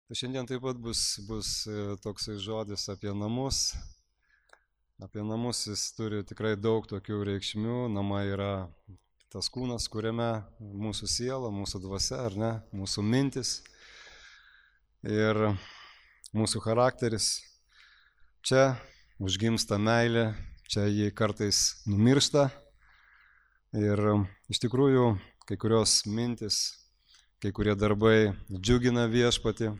Tai šiandien taip pat bus toksai žodis apie namus. Apie namus jis turi tikrai daug tokių reikšmių. Namai yra tas kūnas, kuriame mūsų siela, mūsų dvasia, ar ne, mūsų mintis ir mūsų charakteris. Čia užgimsta meilė, čia jį kartais numiršta ir iš tikrųjų kai kurios mintis, kai kurie darbai džiugina viešpatį,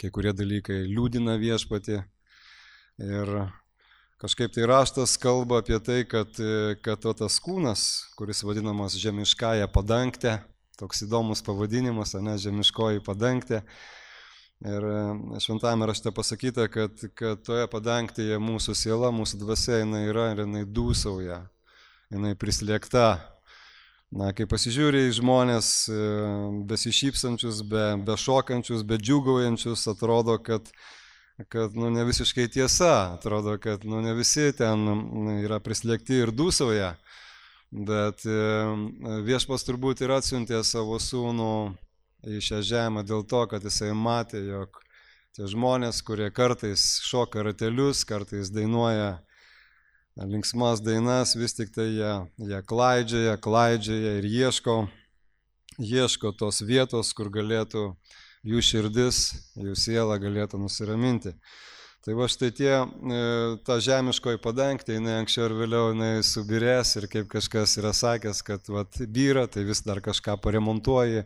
kai kurie dalykai liūdina viešpatį ir kažkaip tai raštas kalba apie tai, kad tas kūnas, kuris vadinamas žemiškąja padangtė, toks įdomus pavadinimas, ne, žemiškoji padangtė. Ir šventame rašte pasakyta, kad toje padangtėje mūsų siela, mūsų dvasia jinai yra ir jinai dūsauja, jinai prislėgta. Na, kai pasižiūri į žmonės besišypsančius, be šokančius, be džiūgaujančius, atrodo, kad ne visiškai tiesa, atrodo, kad ne visi ten yra prislėgti ir dūsauja, bet viešpats turbūt ir atsiuntė savo sūnų į šią žemę dėl to, kad jisai matė, jog tie žmonės, kurie kartais šoka ratelius, kartais dainuoja linksmas dainas, vis tik tai jie klaidžioja ir ieško tos vietos, kur galėtų jų širdis, jų siela galėtų nusiraminti. Tai va štai ta žemiškoji padangtė, jinai anksčiau ir vėliau jinai subirės ir kaip kažkas yra sakęs, kad byra, tai vis dar kažką paremontuoji,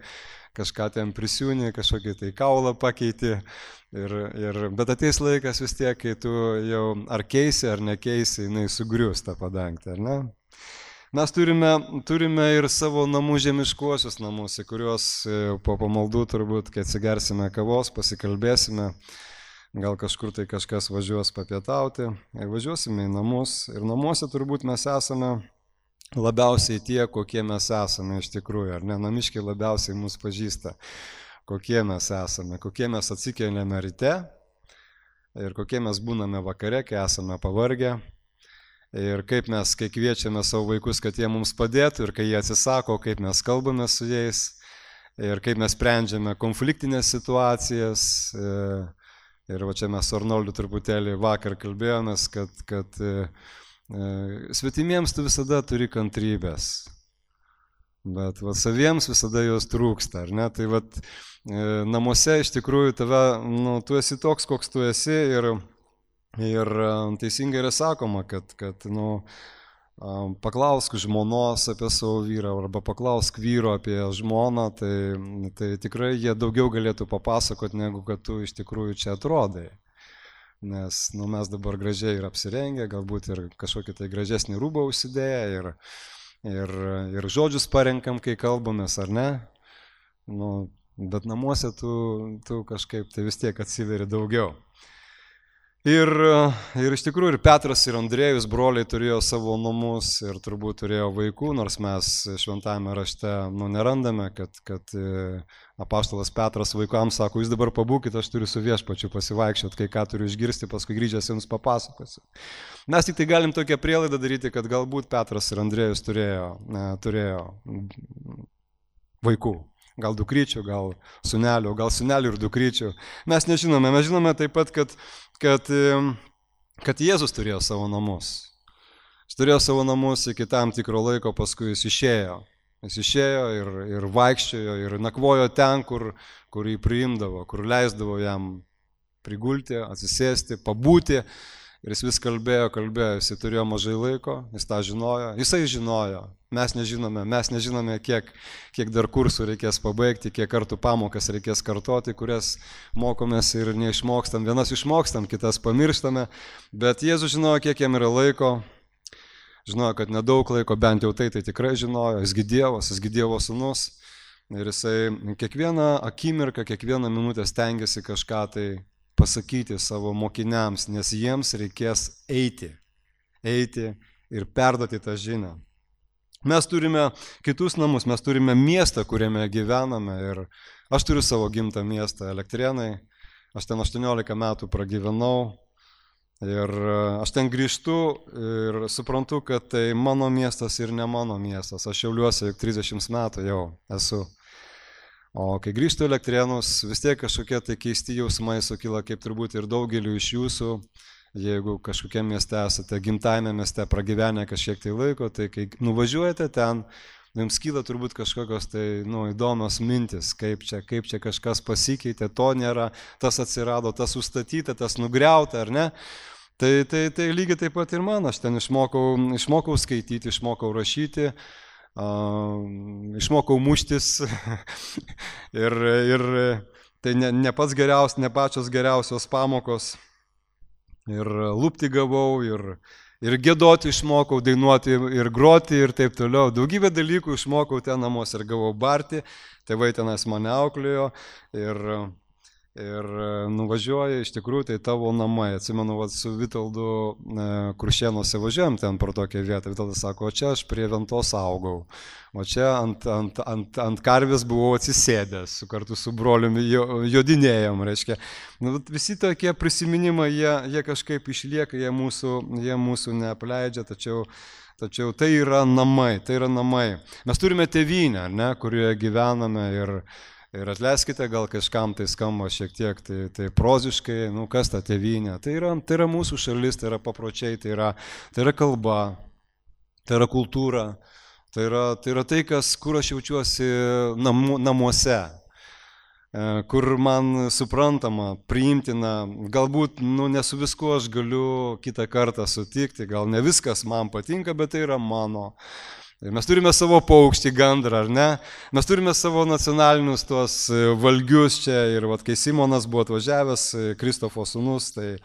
kažką ten prisiūni, kažkokį tai kaulą pakeiti. Bet ateis laikas vis tiek, kai tu jau ar keisi, ar nekeisi, jinai sugrius tą padangtę, ar ne? Mes turime ir savo namų žemiškuosius namus, į kuriuos po pamaldų turbūt, kai atsigersime kavos, pasikalbėsime, gal kažkur tai kažkas važiuos papietauti, važiuosime į namus. Ir namuose turbūt mes esame labiausiai tie, kokie mes esame iš tikrųjų, ar ne? Namiškiai labiausiai mus pažįsta, kokie mes esame, kokie mes atsikeliame ryte ir kokie mes būname vakare, kai esame pavargę. Ir kaip mes, kai kviečiame savo vaikus, kad jie mums padėtų ir kai jie atsisako, kaip mes kalbame su jais ir kaip mes sprendžiame konfliktinės situacijas. Ir va čia mes su Arnoldu truputėlį vakar kalbėjomės, kad svetimiems tu visada turi kantrybės, bet saviems visada jos trūksta, ar ne? Tai namuose iš tikrųjų tu esi toks, koks tu esi ir teisingai yra sakoma, kad paklausk žmonos apie savo vyrą arba paklausk vyro apie žmoną, tai tikrai jie daugiau galėtų papasakoti, negu kad tu iš tikrųjų čia atrodai. Nes mes dabar gražiai ir apsirengę, galbūt ir kažkokį tai gražesnį rūbą užsidėję ir žodžius parenkam, kai kalbamės, ar ne? Bet namuose tu kažkaip tai vis tiek atsiveri daugiau. Ir iš tikrųjų ir Petras ir Andriejus broliai turėjo savo namus ir turbūt turėjo vaikų, nors mes šventame rašte nerandame, kad apaštalas Petras vaikams sako, jūs dabar pabūkite, aš turiu su viešpačiu pasivaikščioti, kai ką turiu išgirsti, paskui grįžęs jums papasakosiu. Mes tik tai galim tokią prielaidą daryti, kad galbūt Petras ir Andriejus turėjo vaikų. Gal dukryčių, gal sūnelių ir dukryčių. Mes nežinome, mes žinome taip pat, kad Jėzus turėjo savo namus. Jis turėjo savo namus iki tam tikro laiko, paskui jis išėjo. Jis išėjo ir vaikščiojo ir nakvojo ten, kur jį priimdavo, kur leisdavo jam prigulti, atsisėsti, pabūti. Ir jis vis kalbėjo, jis turėjo mažai laiko, jis tą žinojo, jisai žinojo, mes nežinome, kiek dar kursų reikės pabaigti, kiek kartų pamokas reikės kartoti, kurias mokomės ir neišmokstam, vienas išmokstam, kitas pamirštame, bet Jėzus žinojo, kiek jam yra laiko, žinojo, kad nedaug laiko, bent jau tai tikrai žinojo, jisgi Dievo sūnus ir jisai kiekvieną akimirką, kiekvieną minutę stengiasi kažką tai pasakyti savo mokiniams, nes jiems reikės eiti ir perduoti tą žinią. Mes turime kitus namus, mes turime miestą, kuriame gyvename ir aš turiu savo gimtą miestą Elektrėnai, aš ten 18 metų pragyvenau ir aš ten grįžtu ir suprantu, kad tai mano miestas ir ne mano miestas, aš Šiauliuose 30 metų jau esu. O kai grįžtu į Elektrėnus, vis tiek kažkokie tai keisti jausmai sukyla, kaip turbūt ir daugeliu iš jūsų, jeigu kažkokiam mieste esate, gimtajame mieste pragyvenę kažkiek tai laiko, tai kai nuvažiuojate ten, jums kyla turbūt kažkokios tai įdomios mintis, kaip čia kažkas pasikeitė, to nėra, tas atsirado, tas užstatyta, tas nugriauta, ar ne? Tai lygiai taip pat ir man, aš ten išmokau skaityti, išmokau rašyti, išmokau muštis ir tai ne pačios geriausios pamokos. Ir lūpti gavau, ir giedoti išmokau, dainuoti ir groti ir taip toliau. Daugybę dalykų išmokau ten namuose ir gavau barti, tėvai tenais mane auklėjo ir nuvažiuoja, iš tikrųjų tai tavo namai. Atsimenu, su Vitoldu Kuršėnuose važiuojam ten pro tokią vietą. Vitoldas sako, o čia aš prie Ventos augau, o čia ant karvės buvau atsisėdęs, kartu su broliumi jodinėjom, reiškia. Visi tokie prisiminimai, jie kažkaip išlieka, jie mūsų neapleidžia, tačiau tai yra namai, Mes turime tėvynę, ne, kurioje gyvename ir atleiskite, gal kažkam tai skamba šiek tiek tai proziškai, kas ta tėvynė. Tai yra mūsų šalis, tai yra papročiai, tai yra kalba, tai yra kultūra, tai yra tai, kur aš jaučiuosi namuose, kur man suprantama, priimtina, galbūt ne su viskuo aš galiu kitą kartą sutikti, gal ne viskas man patinka, bet tai yra mano. Mes turime savo paukštį, gandrą, ar ne? Mes turime savo nacionalinius tuos valgius čia ir kai Simonas buvo atvažiavęs, Kristofo sūnus, tai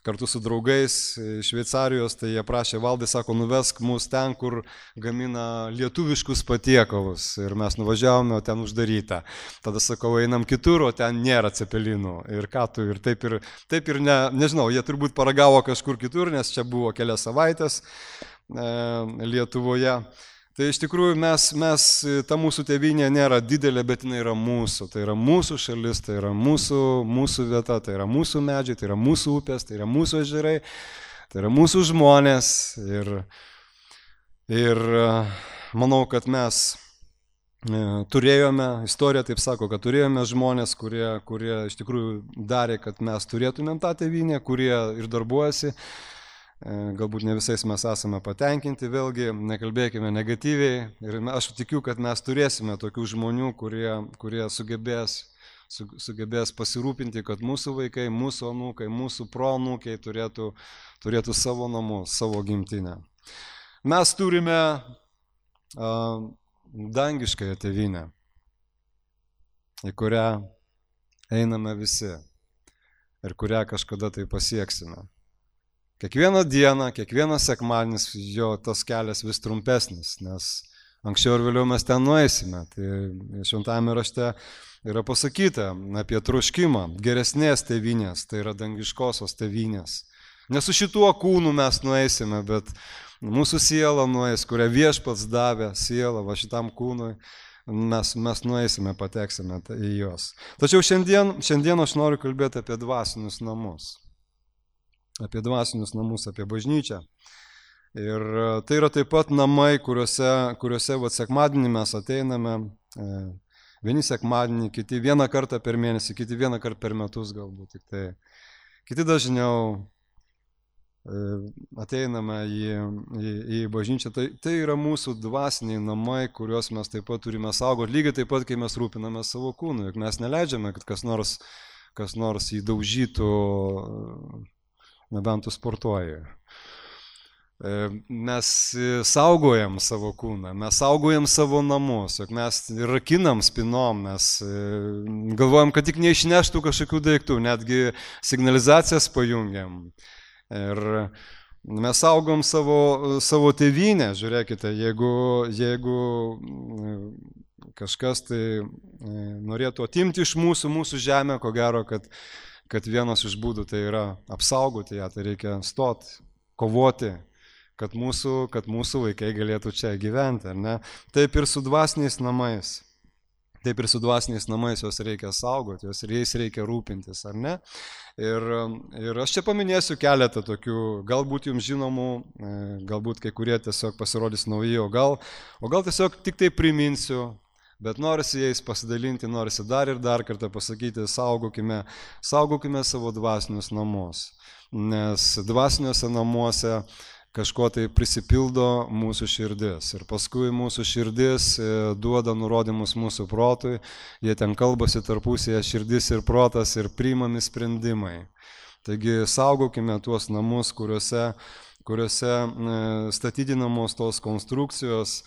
kartu su draugais iš Šveicarijos, tai jie prašė, Valdai, sako, nuvesk mus ten, kur gamina lietuviškus patiekalus. Ir mes nuvažiavome, o ten uždaryta. Tada sakau, einam kitur, o ten nėra cepelinų. Ir ką tu, ir taip ir nežinau, jie turbūt paragavo kažkur kitur, nes čia buvo kelias savaitės Lietuvoje. Tai iš tikrųjų ta mūsų tėvynė nėra didelė, bet jinai yra mūsų. Tai yra mūsų šalis, tai yra mūsų vieta, tai yra mūsų medžiai, tai yra mūsų upės, tai yra mūsų ežerai, tai yra mūsų žmonės. Ir manau, kad mes turėjome, istorija taip sako, kad turėjome žmonės, kurie iš tikrųjų darė, kad mes turėtumėm tą tėvynę, kurie ir darbuojasi. Galbūt ne visais mes esame patenkinti, vėlgi nekalbėkime negatyviai ir aš tikiu, kad mes turėsime tokių žmonių, kurie sugebės pasirūpinti, kad mūsų vaikai, mūsų anūkai, mūsų proanūkiai turėtų savo namus, savo gimtinę. Mes turime dangiškąją tėvynę, į kurią einame visi ir kurią kažkada tai pasieksime. Kiekvieną dieną, kiekvienas sekmadienis jo tas kelias vis trumpesnis, nes anksčiau ir vėliau mes ten nueisime. Tai šventame rašte yra pasakyta apie troškimą geresnės tėvynės, tai yra dangiškosios tėvynės. Ne su šituo kūnu mes nueisime, bet mūsų siela nueis, kurią Viešpats davė sielą va šitam kūnui, mes nueisime, pateksime į juos. Tačiau šiandien aš noriu kalbėti apie dvasinius namus. Apie dvasinius namus, apie bažnyčią. Ir tai yra taip pat namai, kuriuose sekmadienį mes ateiname, vieni sekmadienį, kiti vieną kartą per mėnesį, kiti vieną kartą per metus galbūt. Tik tai. Kiti dažniau ateiname į bažnyčią. Tai yra mūsų dvasiniai namai, kuriuos mes taip pat turime saugoti, lygiai taip pat, kai mes rūpiname savo kūnu. Juk mes neleidžiame, kad kas nors jį daužytų, nebent tu sportuoji. Mes saugojam savo kūną, mes saugojam savo namus, juk mes rakinam spinom, mes galvojam, kad tik neišneštų kažkokių daiktų, netgi signalizacijas pajungiam. Ir mes saugom savo tėvynę, žiūrėkite, jeigu kažkas tai norėtų atimti iš mūsų žemę, ko gero, kad vienas iš būdų tai yra apsaugoti ją, tai reikia stoti, kovoti, kad mūsų vaikai galėtų čia gyventi, ar ne? Taip ir su dvasiniais namais. Taip ir su dvasiniais namais juos reikia saugoti, jais reikia rūpintis, ar ne? Ir aš čia paminėsiu keletą tokių, galbūt jums žinomų, galbūt kai kurie tiesiog pasirodys nauji, o gal tiesiog tik tai priminsiu, Bet norisi jais pasidalinti, norisi dar ir dar kartą pasakyti, saugokime savo dvasinius namus. Nes dvasiniuose namuose kažko tai prisipildo mūsų širdis. Ir paskui mūsų širdis duoda nurodymus mūsų protui, jie ten kalbasi tarpusėje širdis ir protas ir priimami sprendimai. Taigi saugokime tuos namus, kuriuose statydinamos tos konstrukcijos,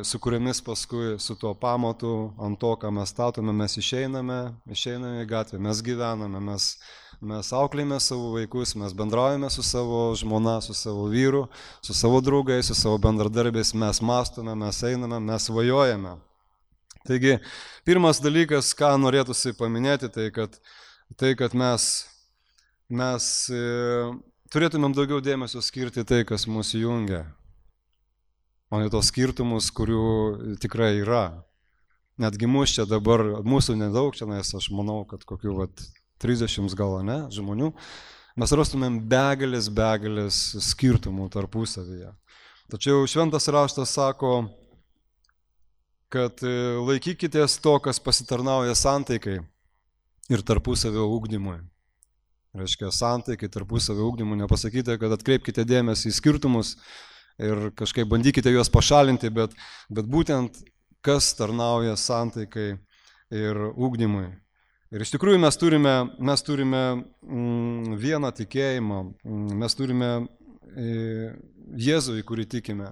su kuriamis paskui su tuo pamatu, ant to, ką mes statome, mes išeiname į gatvę, mes gyvename, mes auklėjame savo vaikus, mes bendraujame su savo žmona, su savo vyru, su savo draugais, su savo bendradarbiais, mes mąstome, mes einame, mes svajojame. Taigi, pirmas dalykas, ką norėtųsi paminėti, tai kad mes turėtumėm daugiau dėmesio skirti tai, kas mūsų jungia. O ne tos skirtumus, kurių tikrai yra. Netgi mūsų čia dabar, mūsų nedaug čia, nes aš manau, kad kokių 30 gal ne žmonių, mes rastumėm begalės skirtumų tarpusavyje. Tačiau šventas raštas sako, kad laikykitės to, kas pasitarnauja santaikai ir tarpusavio ugdymui. Reiškia, santaikai, tarpusavio ugdymui, nepasakyti, kad atkreipkite dėmesį į skirtumus ir kažkaip bandykite juos pašalinti, bet būtent kas tarnauja santaikai ir ugdymui. Ir iš tikrųjų mes turime vieną tikėjimą, mes turime Jėzų, į kurį tikime.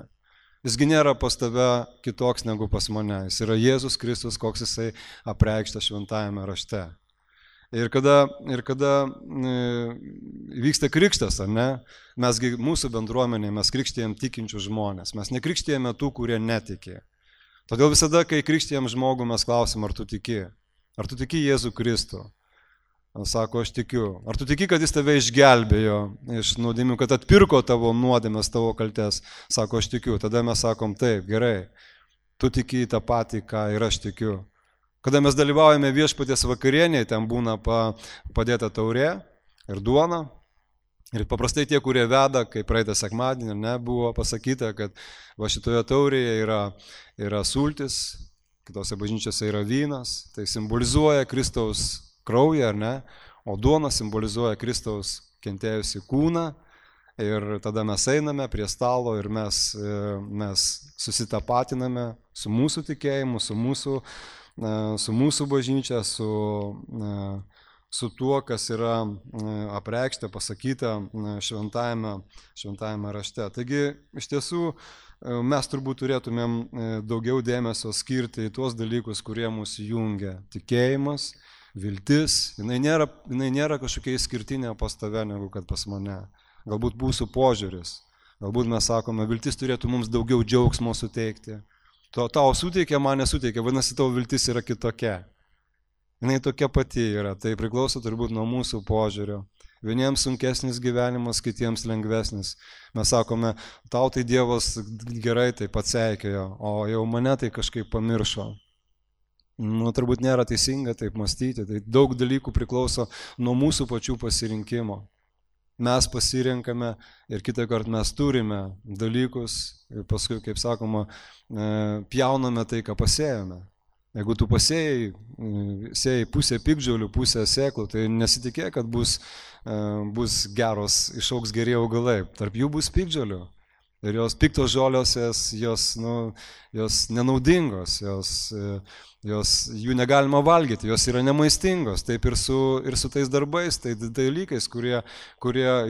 Jisgi nėra pas tave kitoks negu pas mane, jis yra Jėzus Kristus, koks jisai apreikštas šventajame rašte. Ir kada vyksta krikštas, ar ne, mesgi mūsų bendruomenėje mes krikštėjam tikinčių žmonės, mes nekrikštėjame tų, kurie netikė. Todėl visada, kai krikštėjam žmogų, mes klausim, ar tu tiki Jėzų Kristų. Sako, aš tikiu. Ar tu tiki, kad jis tave išgelbėjo iš nuodėmių, kad atpirko tavo nuodėmes, tavo kaltes? Sako, aš tikiu. Tada mes sakom, taip, gerai, tu tiki tą patį, ką ir aš tikiu. Kada mes dalyvaujame viešpaties vakarienėje, ten būna padėta taurė ir duona. Ir paprastai tie, kurie veda, kaip praeitą sekmadienį, buvo pasakyta, kad va šitoje taurėje yra sultis, kitose bažnyčiose yra vynas, tai simbolizuoja Kristaus kraują, ar ne, o duona simbolizuoja Kristaus kentėjusi kūną. Ir tada mes einame prie stalo ir mes susitapatiname su mūsų tikėjimu, su mūsų bažnyčia, su tuo, kas yra apreikšta, pasakyta šventajame rašte. Taigi, iš tiesų, mes turbūt turėtumėm daugiau dėmesio skirti į tuos dalykus, kurie mūsų jungia. Tikėjimas, viltis, jinai nėra kažkokia išskirtinė pas tave negu kad pas mane. Galbūt mūsų požiūris, galbūt mes sakome, viltis turėtų mums daugiau džiaugsmo suteikti. Tau suteikia, man nesuteikia, vadinasi, tavo viltis yra kitokia. Jinai tokia pati yra, tai priklauso turbūt nuo mūsų požiūrio. Vieniems sunkesnis gyvenimas, kitiems lengvesnis. Mes sakome, tau tai Dievas gerai tai atseikėjo, o jau mane tai kažkaip pamiršo. Turbūt nėra teisinga taip mąstyti, tai daug dalykų priklauso nuo mūsų pačių pasirinkimo. Mes pasirenkame ir kitą kartą mes turime dalykus ir paskui, kaip sakoma, pjauname tai, ką pasėjome. Jeigu tu pasėjai pusę piktžolių, pusę sėklų, tai nesitikėk, kad bus geros, išaugs geri augalai. Tarp jų bus piktžolių. Ir jos piktos žolios, jos nenaudingos, jų negalima valgyti, jos yra nemaistingos. Taip ir su tais darbais, tai dalykais, kurie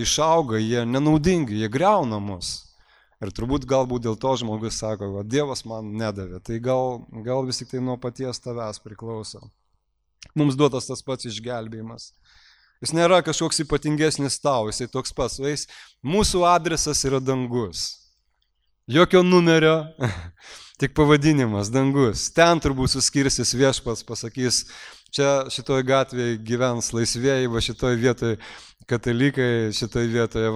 išauga, jie nenaudingi, jie griauna mus. Ir turbūt galbūt dėl to žmogus sako, kad Dievas man nedavė. Tai gal vis tik tai nuo paties tavęs priklauso. Mums duotas tas pats išgelbėjimas. Jis nėra kažkoks ypatingesnis tau, jisai toks pats. Mūsų adresas yra dangus. Jokio numerio, tik pavadinimas, dangus. Ten turbūt suskirsis viešpats, pasakys, čia šitoj gatvėje gyvens laisvėjai, va šitoj vietoje katalikai, šitoj vietoje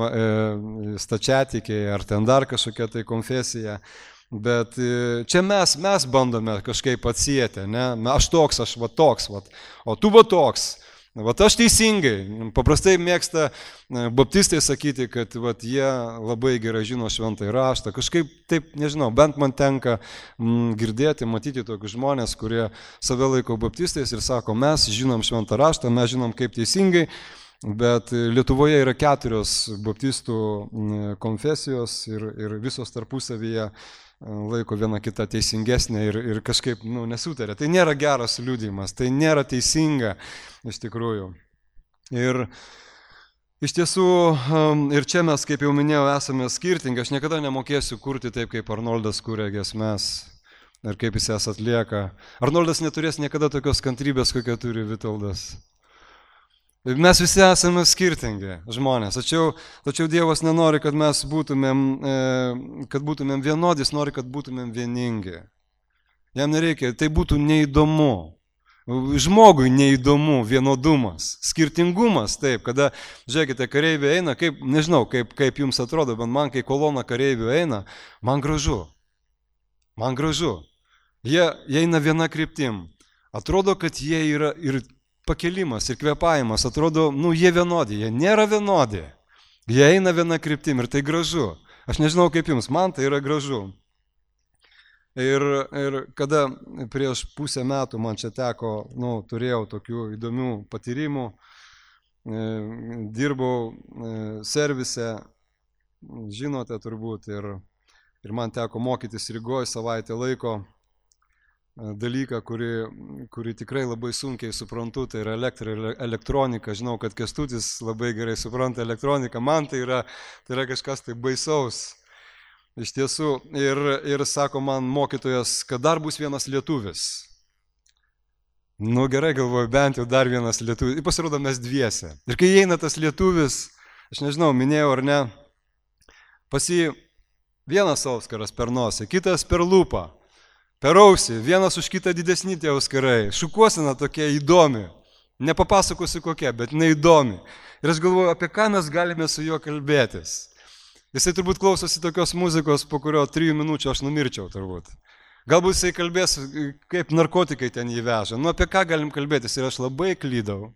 stačiatikiai, ar ten dar kažkokia tai konfesija. Bet čia mes bandome kažkaip atsieti, ne? Aš toks, o tu va toks. Vat aš teisingai, paprastai mėgsta baptistai sakyti, kad vat jie labai gerai žino šventąjį raštą. Kažkaip taip, nežinau, bent man tenka girdėti, matyti tokius žmonės, kurie save laiko baptistais ir sako, mes žinom šventą raštą, mes žinom kaip teisingai, bet Lietuvoje yra 4 baptistų konfesijos ir visos tarpusavyje laiko viena kita teisingesnė ir kažkaip nesutarė. Tai nėra geras liudijimas, tai nėra teisinga iš tikrųjų. Ir iš tiesų, ir čia mes, kaip jau minėjau, esame skirtingi. Aš niekada nemokėsiu kurti taip, kaip Arnoldas kūrė giesmes ir kaip jis jas atlieka. Arnoldas neturės niekada tokios kantrybės, kokią turi Vitoldas. Mes visi esame skirtingi žmonės, tačiau Dievas nenori, kad mes būtumėm vienodi, jis nori, kad būtumėm vieningi. Jam nereikia, tai būtų neįdomu. Žmogui neįdomu vienodumas, skirtingumas, taip, kada, žiūrėkite, kareiviai eina, nežinau, kaip jums atrodo, bet man, kai kolona kareivių eina, man gražu. Jie eina viena kryptim. Atrodo, kad jie yra ir pakelimas ir kvepavimas, atrodo, jie vienodi, jie nėra vienodi. Jie eina viena kryptim ir tai gražu. Aš nežinau kaip jums, man tai yra gražu. Ir kada prieš pusę metų man čia teko, turėjau tokių įdomių patyrimų, dirbau servise, žinote turbūt, ir man teko mokytis Rygoje savaitę laiko, dalyką, kurį tikrai labai sunkiai suprantu, tai yra elektronika. Žinau, kad Kęstutis labai gerai supranta elektroniką, man tai yra kažkas tai baisaus. Iš tiesų, ir sako man mokytojas, kad dar bus vienas lietuvis. Gerai, galvoju, bent jau dar vienas lietuvis. Ir pasirodo mes dviese. Ir kai eina tas lietuvis, aš nežinau, minėjau ar ne, pas jį vienas auskaras per nosį, kitas per lūpą. Per ausį, vienas už kitą didesni tie auskarai, šukuosena tokia įdomi, nepapasakosiu kokia, bet neįdomi. Ir aš galvoju, apie ką mes galime su juo kalbėtis. Jisai turbūt klausosi tokios muzikos, po kurio 3 minučių aš numirčiau turbūt. Galbūt jisai kalbės, kaip narkotikai ten jį veža. Apie ką galim kalbėtis ir aš labai klydau.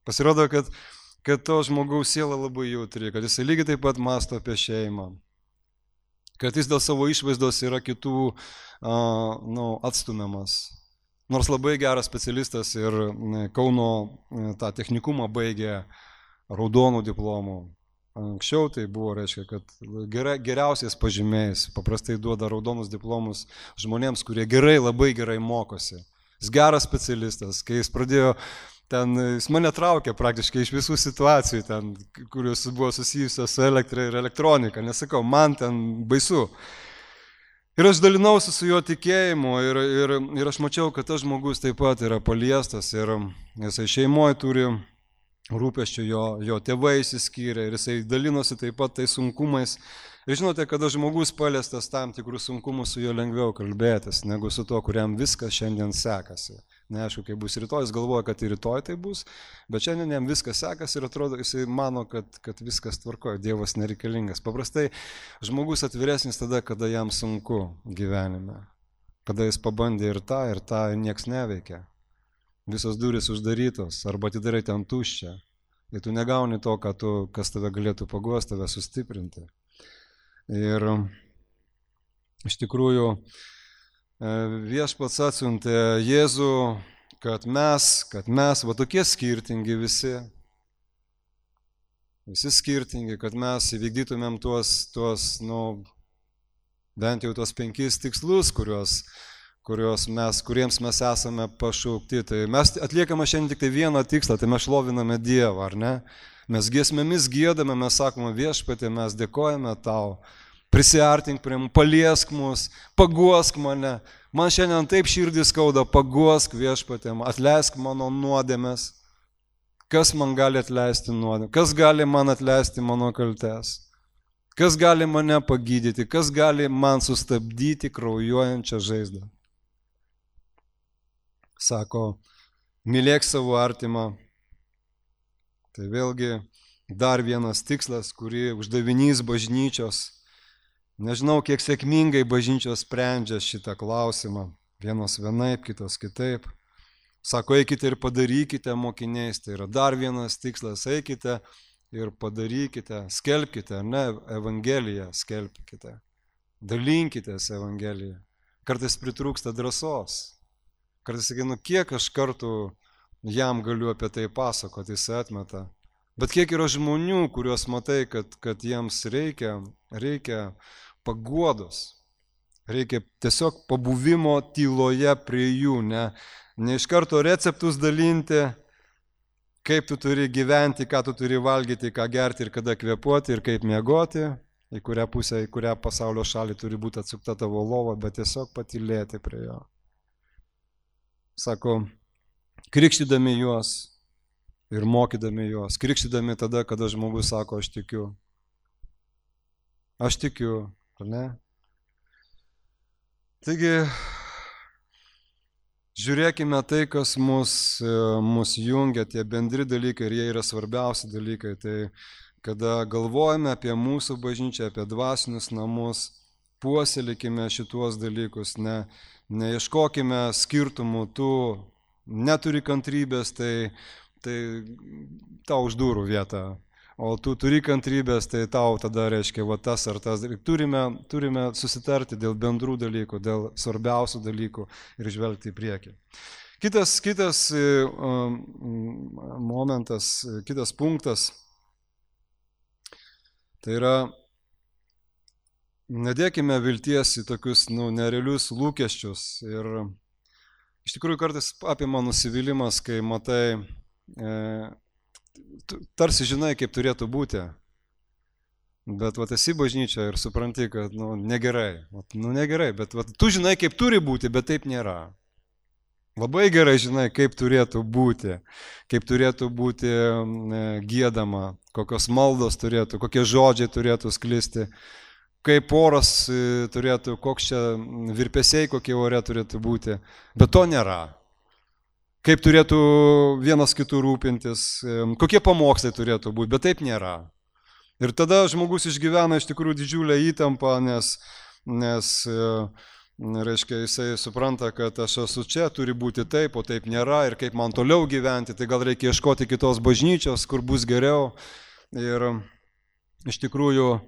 Pasirodo, kad to žmogaus siela labai jautri, kad jisai lygiai taip pat mąsto apie šeimą. Kad jis dėl savo išvaizdos yra kitų atstumiamas. Nors labai geras specialistas ir Kauno tą technikumą baigė raudonų diplomų. Anksčiau tai buvo, reiškia, kad geriausiais pažymiais paprastai duoda raudonus diplomus žmonėms, kurie labai gerai mokosi. Jis geras specialistas, kai jis pradėjo jis mane traukė praktiškai iš visų situacijų, kurios buvo susijusios su elektra ir elektronika. Nesakau, man ten baisu. Ir aš dalinausi su jo tikėjimu ir aš mačiau, kad tas žmogus taip pat yra paliestas ir jisai šeimoje turi rūpesčių, jo tėvai išsiskyrė ir jisai dalinosi taip pat tais sunkumais. Ir žinote, kada žmogus paliestas tam tikrus sunkumus, su juo lengviau kalbėtis, negu su to, kuriam viskas šiandien sekasi. Neaišku, kaip bus rytoj, jis galvoja, kad ir rytoj tai bus, bet šiandien jam viskas sekasi ir atrodo, jisai mano, kad viskas tvarkoja, Dievas nereikalingas. Paprastai žmogus atviresnis tada, kada jam sunku gyvenime, kada jis pabandė ir tą, ir nieks neveikia. Visos durys uždarytos, arba atidarai ten tuščią, ir tu negauni to, kas tave galėtų paguosti, tave sustiprinti. Ir iš tikrųjų, Viešpats atsiuntė Jėzų, kad mes, va tokie skirtingi visi skirtingi, kad mes įvykdytumėm bent jau tuos 5 tikslus, kuriems mes esame pašaukti. Tai mes atliekame šiandien tik tai vieną tikslą, tai mes šloviname Dievą, ar ne? Mes giesmėmis giedame, mes sakome Viešpatie, mes dėkojame tau. Prisiartink prie mūsų, paliesk mus, paguosk mane. Man šiandien taip širdį skauda, paguosk Viešpatie, atleisk mano nuodėmes. Kas man gali atleisti nuodėmę? Kas gali man atleisti mano kaltes? Kas gali mane pagydyti? Kas gali man sustabdyti kraujuojančią žaizdą? Sako, mylėk savo artimą. Tai vėlgi dar vienas tikslas, kurį uždavinys bažnyčios. Nežinau, kiek sėkmingai bažnyčios sprendžia šitą klausimą. Vienos vienaip, kitos kitaip. Sako, eikite ir padarykite mokiniais, tai yra dar vienas tikslas, eikite ir padarykite, skelbkite, ne, Evangeliją skelbkite, dalinkitės Evangeliją. Kartais pritrūksta drąsos. Kartais sakai, kiek aš kartų jam galiu apie tai pasakoti, jis atmeta. Bet kiek yra žmonių, kuriuos matai, kad jiems reikia paguodos. Reikia tiesiog pabuvimo tyloje prie jų, ne iš karto receptus dalinti, kaip tu turi gyventi, ką tu turi valgyti, ką gerti ir kada kvėpuoti ir kaip miegoti, į kurią pusę, į kurią pasaulio šalį turi būti atsukta tavo lova, bet tiesiog patylėti prie jo. Sako, krikštydami juos ir mokydami juos, krikštydami tada, kada žmogus sako, aš tikiu. Aš tikiu, ar ne? Taigi, žiūrėkime tai, kas mus jungia, tie bendri dalykai ir jie yra svarbiausi dalykai. Tai kada galvojame apie mūsų bažnyčią, apie dvasinius namus, puoselėkime šituos dalykus, neieškokime skirtumų, tu neturi kantrybės, tai tau už durų vietą, o tu turi kantrybės, tai tau tada reiškia tas ar tas. Turime susitarti dėl bendrų dalykų, dėl svarbiausių dalykų ir žvelgti į priekį. Kitas momentas, kitas punktas, tai yra, nedėkime vilties į tokius nerealius lūkesčius. Ir iš tikrųjų kartais apima nusivylimas, kai matai, tarsi žinai, kaip turėtų būti, bet esi bažnyčia ir supranti, kad negerai. Negerai, bet tu žinai, kaip turi būti, bet taip nėra. Labai gerai žinai, kaip turėtų būti giedama, kokios maldos turėtų, kokie žodžiai turėtų sklisti, kaip oras turėtų, koks čia virpesiai, kokie ore turėtų būti, bet to nėra. Kaip turėtų vienas kitų rūpintis, kokie pamokslai turėtų būti, bet taip nėra. Ir tada žmogus išgyvena iš tikrųjų didžiulę įtampą, nes reiškia, jisai supranta, kad aš esu čia, turi būti taip, o taip nėra, ir kaip man toliau gyventi, tai gal reikia ieškoti kitos bažnyčios, kur bus geriau. Ir iš tikrųjų,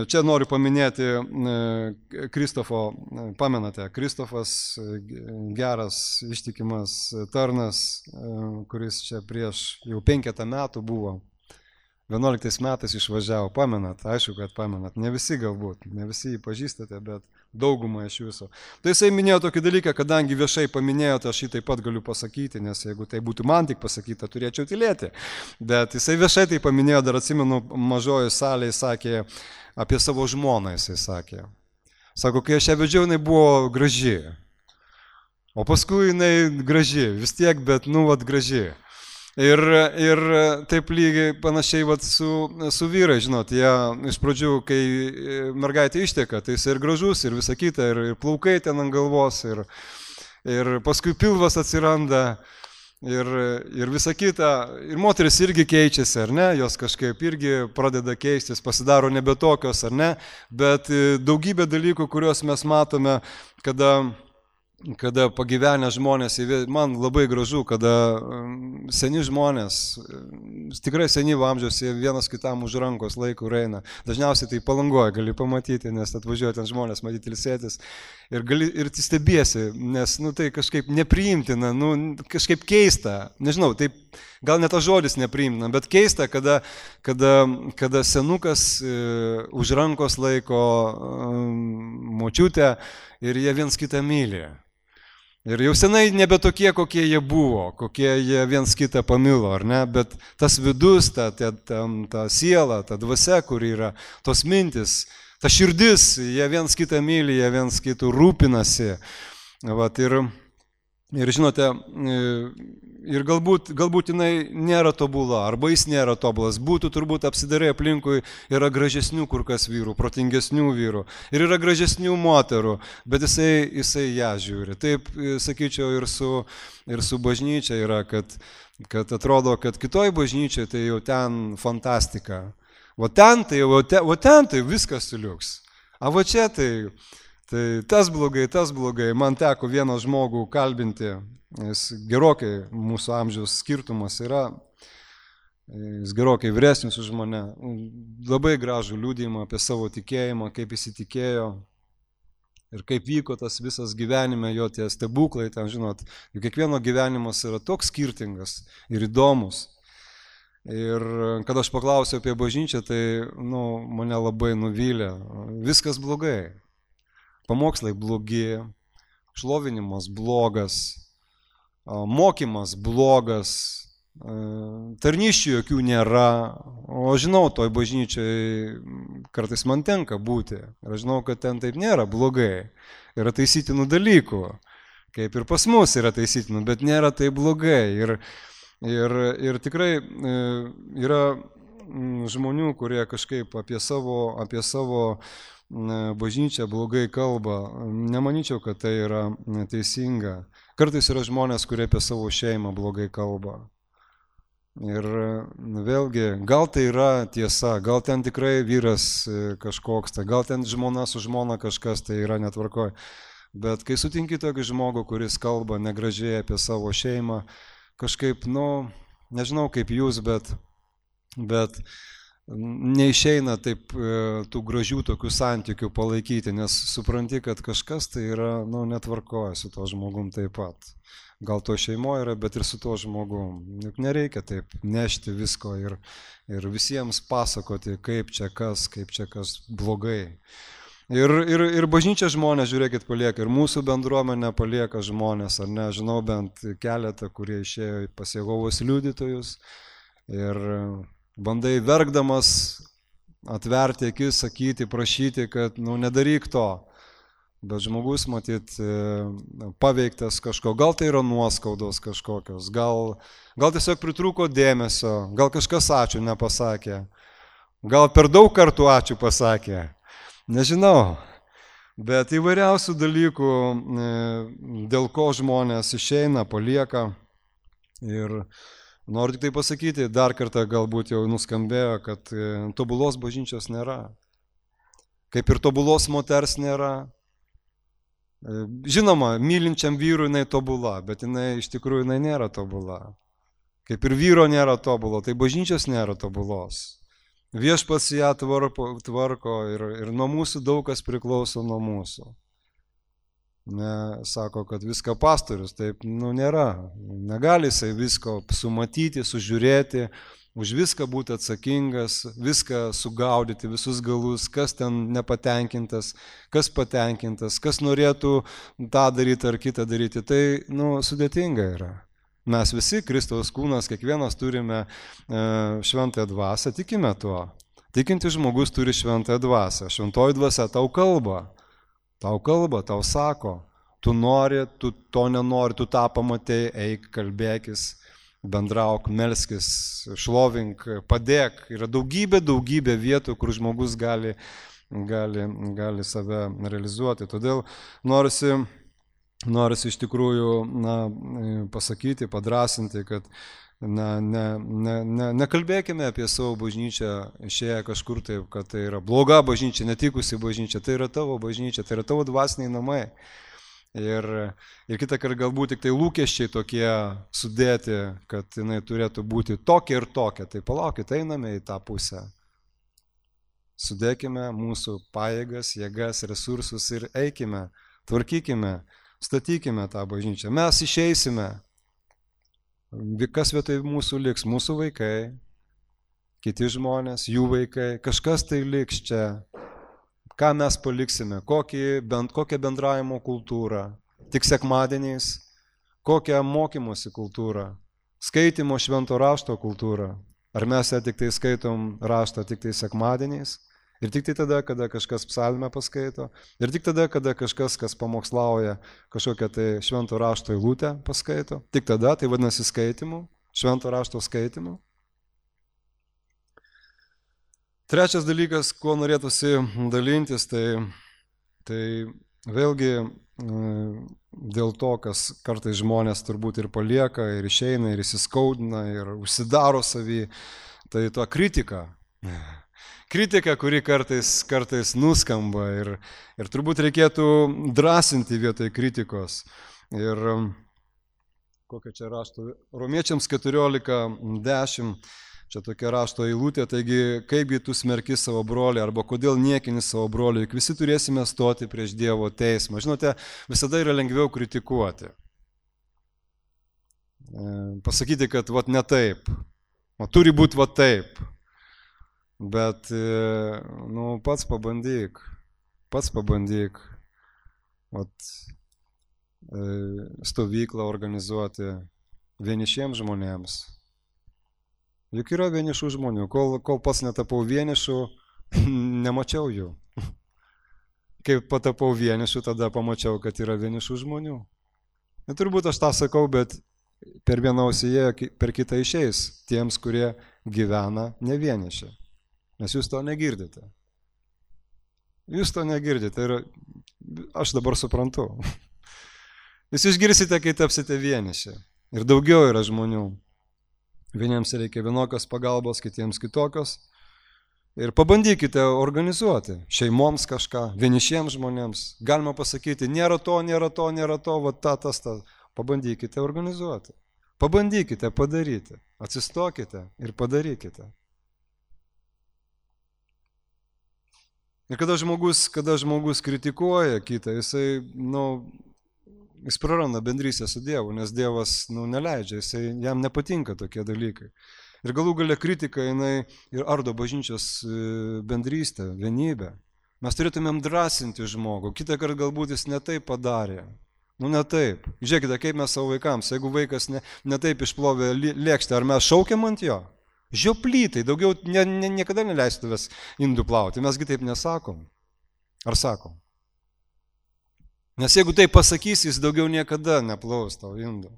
čia noriu paminėti Kristofo, pamenate, Kristofas, geras, ištikimas tarnas, kuris čia prieš jau 5 metų buvo. 11 metais išvažiavo, pamenat, aišku, kad pamenat, ne visi galbūt, ne visi jį pažįstate, bet daugumą iš jūsų. Tai jisai minėjo tokį dalyką, kadangi viešai paminėjo, tai aš jį taip pat galiu pasakyti, nes jeigu tai būtų man tik pasakyta, turėčiau tylėti. Bet jisai viešai tai paminėjo, dar atsimenu, mažojo salėje sakė, apie savo žmoną jisai sakė. Sako, kai aš ją vedžiau, jinai buvo graži. O paskui jinai graži, vis tiek, bet graži. Ir taip lygiai panašiai su vyrai, žinot, jie iš pradžių, kai mergaitė išteka, tai jis ir gražus, ir visa kita, ir plaukai ten ant galvos, ir paskui pilvas atsiranda, ir visa kita. Ir moteris irgi keičiasi, ar ne, jos kažkaip irgi pradeda keistis, pasidaro nebe tokios, ar ne, bet daugybė dalykų, kuriuos mes matome, kada pagyvenę žmonės, man labai gražu, kada seni žmonės, tikrai senyvo amžiaus, jie vienas kitam už rankos laiko eina. Dažniausiai tai Palangoje gali pamatyti, nes atvažiuoja ten žmonės matyti ilsėtis ir stebiesi, nes tai kažkaip nepriimtina, kažkaip keista, nežinau, taip gal net tas žodis nepriimtina, bet keista, kada senukas už rankos laiko močiutę ir jie viens kitą myli. Ir jau senai nebe tokie, kokie jie buvo, kokie jie viens kitą pamilo, ar ne? Bet tas vidus, ta siela, ta dvasia, kur yra, tos mintis, ta širdis, jie viens kitą myli, jie viens kitų rūpinasi. Ir žinote, ir galbūt jinai nėra tobula, arba jis nėra tobulas. Būtų turbūt apsidarai aplinkui, yra gražesnių kur kas vyrų, protingesnių vyrų. Ir yra gražesnių moterų, bet jisai ją žiūri. Taip, sakyčiau, ir su bažnyčia yra, kad atrodo, kad kitoj bažnyčiai tai jau ten fantastika. O ten tai viskas suliuks. O va čia tai Tai tas blogai. Man teko vieną žmogų kalbinti, jis gerokai mūsų amžiaus skirtumas yra, jis gerokai vyresnis už mane, labai gražų liudijimą apie savo tikėjimą, kaip jis įtikėjo ir kaip vyko tas visas gyvenime, jo tie stebuklai, ten žinot, kiekvieno gyvenimas yra toks skirtingas ir įdomus. Ir kad aš paklausiau apie bažnyčią, tai mane labai nuvylė. Viskas blogai. Pamokslai blogi, šlovinimas blogas, mokymas blogas, tarnysčių jokių nėra. O žinau, toj bažnyčiai kartais man tenka būti. Ir aš žinau, kad ten taip nėra blogai. Yra taisytinų dalykų, kaip ir pas mus yra taisytinų, bet nėra tai blogai. Ir tikrai yra žmonių, kurie kažkaip apie savo bažnyčią blogai kalba. Nemanyčiau, kad tai yra teisinga. Kartais yra žmonės, kurie apie savo šeimą blogai kalba. Ir vėlgi, gal tai yra tiesa, gal ten tikrai vyras kažkoks, gal ten žmona su žmona kažkas tai yra netvarkoj. Bet kai sutinki tokį žmogų, kuris kalba negražiai apie savo šeimą, kažkaip, nežinau kaip jūs, bet neišeina taip tų gražių tokių santykių palaikyti, nes supranti, kad kažkas tai yra, netvarkoja su to žmogum taip pat. Gal to šeimoje yra, bet ir su to žmogum. Juk nereikia taip nešti visko ir visiems pasakoti, kaip čia kas blogai. Ir bažnyčia žmonės, žiūrėkit, palieka, ir mūsų bendruomenė palieka žmonės, ar ne, žinau bent keletą, kurie išėjo pas Jehovos liudytojus ir bandai verkdamas atverti akis, sakyti, prašyti, kad nedaryk to. Bet žmogus, matyt, paveiktas kažko, gal tai yra nuoskaudos kažkokios, gal tiesiog pritrūko dėmesio, gal kažkas ačiū nepasakė, gal per daug kartų ačiū pasakė. Nežinau, bet įvairiausių dalykų, dėl ko žmonės išeina, palieka. Ir noriu tik tai pasakyti, dar kartą galbūt jau nuskambėjo, kad tobulos bažnyčios nėra. Kaip ir tobulos moters nėra. Žinoma, mylinčiam vyrui jinai tobula, bet jinai iš tikrųjų jinai nėra tobula. Kaip ir vyro nėra tobulo, tai bažnyčios nėra tobulos. Viešpats ją tvarko ir nuo mūsų daug kas priklauso nuo mūsų. Sako, kad viską pastorius, taip nėra. Negali jisai visko sumatyti, sužiūrėti, už viską būti atsakingas, viską sugaudyti, visus galus, kas ten nepatenkintas, kas patenkintas, kas norėtų tą daryti ar kitą daryti. Tai sudėtinga yra. Mes visi, Kristaus kūnas, kiekvienas turime šventąją dvasią, tikime tuo. Tikintis žmogus turi šventąją dvasią. Šventoji dvasia tau kalba, tau sako, tu nori, tu to nenori, tu tą pamatei, eik, kalbėkis, bendrauk, melskis, šlovink, padėk. Yra daugybė vietų, kur žmogus gali save realizuoti. Todėl norisi iš tikrųjų pasakyti, padrasinti, kad nekalbėkime apie savo bažnyčią išėję kažkur taip, kad tai yra bloga bažnyčia, netikusi bažnyčia, tai yra tavo bažnyčia, tai yra tavo dvasiniai namai. Ir kitą kartą galbūt tik tai lūkesčiai tokie sudėti, kad jinai turėtų būti tokia ir tokia. Tai palaukit, einame į tą pusę. Sudėkime mūsų pajėgas, jėgas, resursus ir eikime, tvarkykime, statykime tą bažnyčią. Mes išeisime. Kas vietoj mūsų liks? Mūsų vaikai, kiti žmonės, jų vaikai. Kažkas tai liks čia. Ką mes paliksime? Kokią bendravimo kultūrą? Tik sekmadieniais? Kokią mokymosi kultūrą? Skaitimo švento rašto kultūrą? Ar mes ją tik tai skaitom raštą tik tai sekmadieniais? Ir tik tai tada, kada kažkas psalmę paskaito? Ir tik tada, kada kažkas, kas pamokslauja kažkokią tai švento rašto eilutę paskaito? Tik tada, tai vadinasi skaitimu, švento rašto skaitimu? Trečias dalykas, kuo norėtųsi dalintis, tai vėlgi dėl to, kas kartais žmonės turbūt ir palieka, ir išeina, ir įsiskaudina, ir užsidaro savį, tai to kritika. kritika, kuri kartais nuskamba ir turbūt reikėtų drąsinti vietoj kritikos. Ir kokia čia rašto, Romiečiams 14:10, čia tokia rašto eilutė, taigi kaipgi tu smerki savo brolį arba kodėl niekini savo brolį, juk visi turėsime stoti prieš Dievo teismą. Žinote, visada yra lengviau kritikuoti. Pasakyti, kad vat ne taip, o turi būti vat taip. Bet, nu, pats pabandyk, vat, stovyklą organizuoti vienišiems žmonėms. Juk yra vienišų žmonių, kol pats netapau vienišų, nemačiau jų. Kai patapau vienišų, tada pamačiau, kad yra vienišų žmonių. Ir turbūt aš tą sakau, bet per vieną ausį įėjo, per kitą išeis tiems, kurie gyvena ne vieniši. Nes jūs to negirdite. Jūs to negirdite ir aš dabar suprantu. Jūs išgirsite, kai tapsite vieniši. Ir daugiau yra žmonių. Vieniems reikia vienokios pagalbos, kitiems kitokios. Ir pabandykite organizuoti šeimoms kažką, vienišiems žmonėms. Galima pasakyti, nėra to, va tas. Pabandykite organizuoti. Pabandykite padaryti. Atsistokite ir padarykite. Ir kada žmogus kritikuoja kitą, jis praranda bendrystę su Dievu, nes Dievas neleidžia, jam nepatinka tokie dalykai. Ir galų gale kritika jinai ir ardo bažnyčios bendrystę, vienybę. Mes turėtumėm drąsinti žmogų, kitą kartą galbūt jis ne taip padarė. Ne taip. Žiūrėkite, kaip mes savo vaikams, jeigu vaikas ne taip išplovė lėkštę, ar mes šaukiam ant jo? Žioplytai, daugiau niekada neleisiu tavęs indų plauti, mesgi taip nesakom. Ar sakom? Nes jeigu tai pasakys, jis daugiau niekada neplaus tau indų.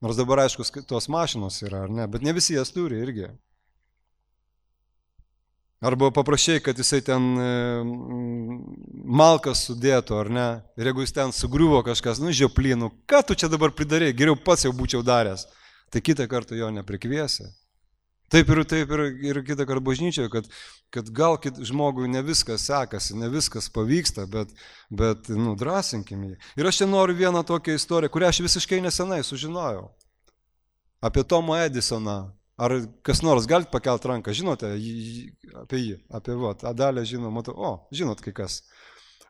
Nors dabar aišku, tos mašinos yra, ar ne, bet ne visi jas turi irgi. Arba paprašai, kad jisai ten malkas sudėtų, ar ne, ir jeigu jis ten sugriuvo kažkas, žioplynų, ką tu čia dabar pridarei, geriau pats jau būčiau daręs, tai kitą kartą jo neprikviesi. Taip ir kitą kartą bažnyčioje, kad gal žmogui ne viskas sekasi, ne viskas pavyksta, bet drąsinkim jį. Ir aš čia noriu vieną tokią istoriją, kurią aš visiškai nesenai sužinojau. Apie Tomą Edisoną. Ar kas nors galite pakelti ranką, žinote apie jį, apie Adalę žinau, matau, žinot kai kas.